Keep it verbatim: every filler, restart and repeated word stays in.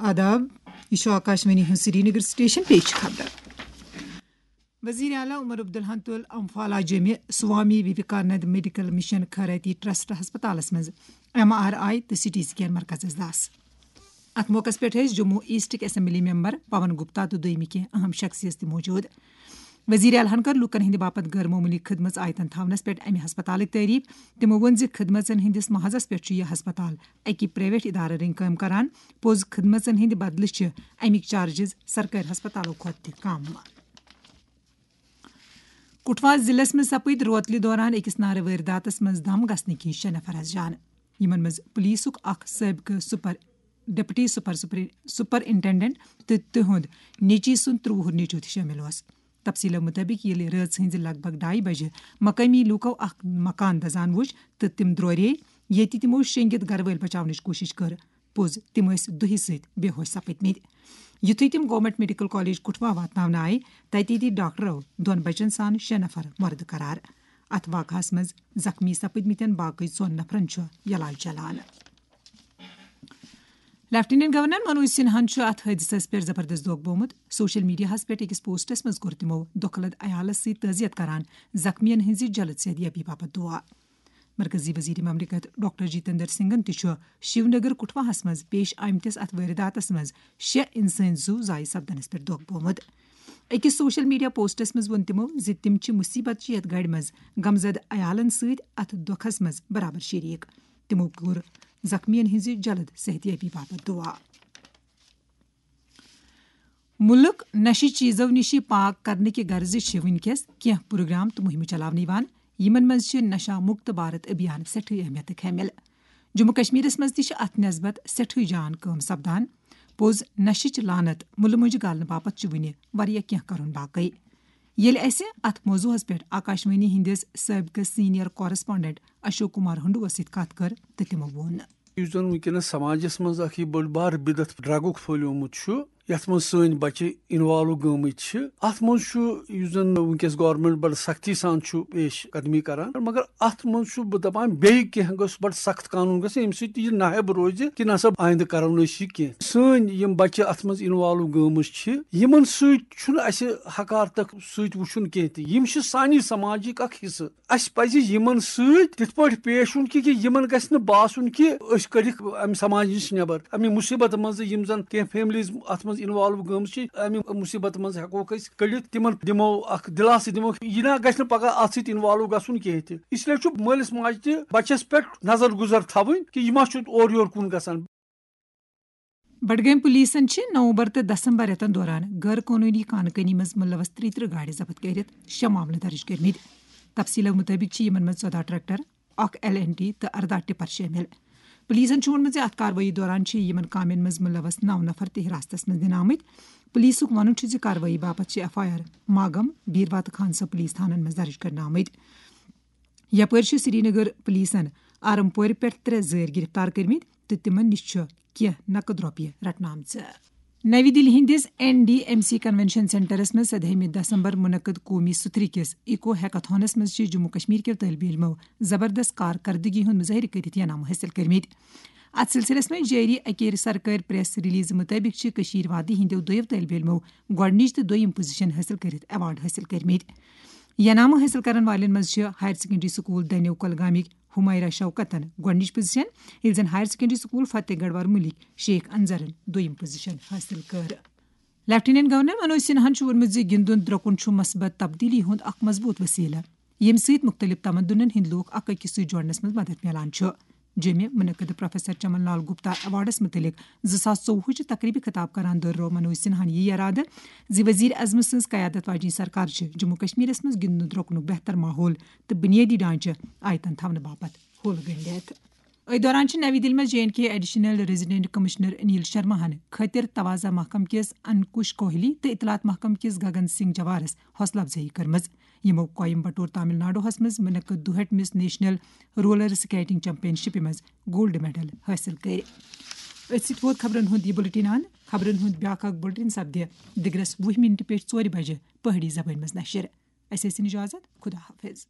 آداب، یہ چھُ آکاشوانی ہُنٛد سرینگر سٹیشن۔ پیش چھِ خبرٕ۔ وزیر اعلیٰ عمر عبداللہن تُل امفالہ جیٚمہِ سوامی وویکانند میڈیکل مشن خیرٲتی ٹرسٹ ہسپتالس منٛز ایم آر آئی تہٕ سی ٹی سکین مرکزس دس۔ اتھ موقعس پٮ۪ٹھ ٲسۍ جموں ایسٹٕکۍ اسمبلی ممبر پون گپتا تہٕ دوٚیمہِ کینٛہہ اہم شخصیت تہِ موجود۔ وزیر اعلیٰ ہن کٔر لوٗکن ہٕنٛدِ باپتھ غٲر معموٗلی خدمژ آیتن تھاونس پٮ۪ٹھ امہِ ہسپتالٕکۍ تعریف۔ تِمو ووٚن زِ خدمژن ہٕنٛدِس محاذس پٮ۪ٹھ چھُ یہِ ہسپتال اَکہِ پرائیویٹ ادارٕ رٔنٛگۍ کٲم کران۔ پوٚز، خدمژن ہٕنٛدِ بدلہٕ چھِ اَمِکۍ چارجز سرکٲرۍ ہسپتالو کھۄتہٕ تہِ کم۔ کٹھوا ضلعس منٛز سپٕدۍ روتلہِ دوران أکِس نارٕ وٲرۍداتس منٛز دم گژھنہٕ کِنۍ شےٚ نفر حظ جان۔ یِمن منٛز پولیسُک اکھ سٲبقہٕ super, deputy super, super, superintendent تہٕ تِہُنٛد نیٚچی سُنٛد ترٛۆوُہُر نیٚچو تہِ شٲمِل اوس۔ تفصیٖلو مُطٲبِق، ییٚلہِ رٲژ ہٕنٛزِ لگ بگ ڈاے بجہِ مقٲمی لوٗکو اکھ مکان دزان وُچھ تہٕ تِم درورے، ییٚتہِ تِمو شیٚنگِتھ گرٕ وٲلۍ بچاونٕچ کوٗشِش کٔر۔ پوٚز، تِم ٲسۍ دُہہِ سۭتۍ بے ہوش سپٕدمٕتۍ۔ یُتھُے تِم گورنمنٹ میڈیکل کالج کٹھوا واتناونہٕ آیہِ، تَتی دِتۍ ڈاکٹرو دۄن بچن سان شےٚ نفر مردٕ قرار۔ اتھ واقعس منٛز زخمی سپٕدمٕتٮ۪ن باقٕے ژۄن نفرن چھُ علاج چلان۔ لیفٹیننٹ گورنر منوج سنہاہن چھُ اتھ حٲدثس پٮ۪ٹھ زبردست دۄکھ بوٚومُت۔ سوشل میڈیاہس پٮ۪ٹھ أکِس پوسٹس منٛز کوٚر تِمو دۄکھٕ لد عیالس سۭتۍ تعزیت کران زخمیَن ہٕنٛزِ جلد صحت یابی باپتھ دعا۔ مرکزی وزیر مملکت ڈاکٹر جتیندر سنگھن تہِ چھُ شیونگر کٹھواہس منٛز پیش آمتِس اتھ وٲرۍداتس منٛز شےٚ انسٲنی زُو ضایع سپدنس پٮ۪ٹھ دۄکھ بوٚومُت۔ أکِس سوشل میڈیا پوسٹس منٛز ووٚن تِمو زِ تِم چھِ مصیبت چہِ یتھ گڑِ منٛز غمزدٕ عیالن سۭتۍ اتھ دۄکھس منٛز برابر شریک۔ تِمو کوٚر زخمیَن ہٕنٛزِ جلد صحت یابی باپتھ دعا۔ مُلک نشہٕ چیٖزو نِش پاک کرنہٕ کہِ غرضہٕ چھِ وٕنکیٚس کینٛہہ پروگرام تہٕ مُہِمہٕ چلاونہٕ یِوان، یِمن منٛز چھِ نشہ مکت بھارت ابھیان سٮ۪ٹھٕے اہمیتٕکۍ حٲمِل۔ جموں کشمیرس منٛز تہِ چھِ اتھ نسبت سٮ۪ٹھٕے جان کٲم سپدان۔ پوٚز، نشٕچ لعنت مُلہٕ مۄنجہِ گالنہٕ باپتھ چھُ وُنہِ واریاہ کینٛہہ کرُن باقٕے۔ ییٚلہِ اسہِ اتھ موضوعس پٮ۪ٹھ آکاشوانی ہٕنٛدِس سٲبقہٕ سینئر کورسپونڈنٹ اشوک کمار ہنڈوس سۭتۍ کتھ کٔر تہٕ تِمو ووٚن۔ یُس زن وٕنکیٚنس سماجس منٛز اکھ یہِ بٔڑ بار بدعت ڈرگُک پھٔہلیومُت چھُ، یتھ منٛز سٲنۍ بچہِ انوالو گٔمٕتۍ چھِ، اتھ منٛز چھُ، یُس زن وٕنکیٚس گورنمنٹ بڑٕ سختی سان چھُ پیش قدمی کران، مگر اتھ منٛز چھُ بہٕ دپان بیٚیہِ کینٛہہ گوٚژھ بڑٕ سخت قانون گژھُن، ییٚمہِ سۭتۍ یہِ ناہب روزِ کہِ نسا آیندٕ کرو نہٕ أسۍ یہِ کینٛہہ۔ سٲنۍ یِم بچہِ اتھ منٛز انوالو گٔمٕتۍ چھِ، یِمن سۭتۍ چھُنہٕ اسہِ حقارتک سۭتۍ وٕچھُن کینٛہہ تہِ۔ یِم چھِ سانہِ سماجِک اکھ حصہٕ۔ اسہِ پزِ یِمن سۭتۍ تِتھ پٲٹھۍ پیش یُن کہِ، کہِ یِمن گژھِ نہٕ باسُن کہِ أسۍ کٔڑِکھ امہِ سماج نِش نٮ۪بر۔ امہِ مُصیبت منٛز یِم زن کینٛہہ فیملیز اتھ منٛز انوالو گٔمٕژ چھِ، امہِ مُصیبت منٛز ہٮ۪کوکھ أسۍ کٔڑِتھ۔ تِمن دِمو اکھ دِلاسہٕ، دِمو، یہِ نہ گژھِ نہٕ پگاہ اتھ سۭتۍ انوالو گژھُن کینٛہہ تہِ۔ اس لیے چھُ مٲلِس ماجہِ تہِ بچس پٮ۪ٹھ نظر گُزر تھاوٕنۍ کہِ یہِ ما چھُ اورٕ یور کُن گژھان۔ بڈگام پولیسن چھِ نومبر تہٕ دسمبر رٮ۪تن دوران غٲر قونوٗنی کانہٕ کٲنی منٛز مُلوث ترٛیہِ ترٕٛہ گاڑِ ضبط کٔرِتھ شےٚ معاملہٕ درٕج کٔرمٕتۍ۔ تفصیٖلو مُطٲبِق چھِ یِمن منٛز ژۄداہ ٹریکٹر، اکھ ایل اینڈ ٹی تہٕ ارداہ ٹپر شٲمِل۔ پولیسن چھُ ووٚنمُت زِ اتھ کاروٲیی دوران چھِ یِمن کامٮ۪ن منٛز مُلوث نو نفر تہِ حراستس منٛز نِنہٕ آمٕتۍ۔ پولیسُک وَنُن چھُ زِ کاروٲیی باپتھ چھِ ایف آئی آر ماگم، بیٖروا تہٕ خانسا پولیس تھانن منٛز درٕج کرنہٕ آمٕتۍ۔ یپٲرۍ چھِ سرینگر پولیسن آرم پورِ پٮ۪ٹھ ترٛےٚ زٲرۍ گرفتار کٔرمٕتۍ تہٕ تِمن نِش چھُ کینٛہہ نقد رۄپیہِ رٹنہٕ آمژٕ۔ نَوِ دِلہِ ہٕنٛدِس N D M C convention سینٹرس منٛز سدہٲیمہِ دسمبر منعقد قومی سترِ کِس ایکو ہیکاتھانس منٛز چھِ جموں کشمیر کیو طٲلبہِ علمو زبردست کارکردگی ہُنٛد مظٲہرٕ کٔرِتھ انعام حٲصِل کٔرمٕتۍ۔ اتھ سلسلس منٛز جٲری اکہِ سرکٲرۍ پریس ریلیز مُطٲبِق چھِ کشمیر وادی ہٕنٛدیو دۄیو طٲلبہِ علمو گۄڈٕنِچ تہٕ دوٚیِم پوزیشن حٲصِل کٔرِتھ ایوارڈ حٲصِل کٔرمٕتۍ۔ انعامہٕ حٲصِل کرن والٮ۪ن منٛز چھِ ہایر سیکنڈری سکول دنیو کۄلگامٕکۍ حمیرا شوکتن گۄڈٕنِچ پوزیشن، ییٚلہِ زن ہایر سیکنڈری سکول فتح گڑھ ورمُلٕکۍ شیخ انظرن دوٚیِم پوزیشن حٲصِل کٔر۔ لیفٹیننٹ گورنر منوج سنہاہن چھُ ووٚنمُت زِ گِنٛدُن درٛۄکُن چھُ مثبت تبدیلی ہُنٛد اکھ مضبوٗط وسیلہٕ، ییٚمہِ سۭتۍ مُختٔلِف تمدنن ہٕنٛدۍ لوٗکھ اکھ أکِس سۭتۍ جوڑنس منٛز مدد میلان چھُ۔ جیٚمہِ منعقد پروفیسر چمن لال گپتا ایوارڈس مُتعلق زٕ ساس ژوٚوُہٕچ تقریبہِ خطاب کران دۄہرٲو منوج سنہاہن یہِ اِرادٕ زِ وزیر اعظم سٕنٛز قیادت واجنۍ سرکار چھِ جموں کشمیرس منٛز گِنٛدنہٕ درٛۄکنُک بہتر ماحول تہٕ بُنیٲدی ڈھانچہٕ آیتن تھاونہٕ باپتھ ہوٚل گٔنٛڈِتھ۔ أتھۍ دوران چھِ نَوِ دِلہِ منٛز J and K additional resident commissioner Anil شرماہن خٲطرٕ توازہ محکمہٕ کِس انکش کوہلی تہٕ اطلاعات محکمہٕ کِس گگن سنگھ جوارس حوصلہٕ افزٲیی کٔرمٕژ، یِمو کویمبٹور تامل ناڈوہس منٛز منعقد دُہٲٹھمِس نیشنل رولر سکیٹنگ چیمپین شپہِ منٛز گولڈ میڈل حٲصِل کٔرۍ۔ أتھۍ سۭتۍ ووت خبرن ہُنٛد یہِ بُلٹن اند۔ خبرن ہُنٛد بیٛاکھ اکھ بُلٹن سپدِ دِگرس وُہ منٹہِ پٮ۪ٹھ ژورِ بجہِ پہٲڑی زبٲنۍ منٛز نشر۔ اسہِ ٲسِن اجازت، خدا حافظ۔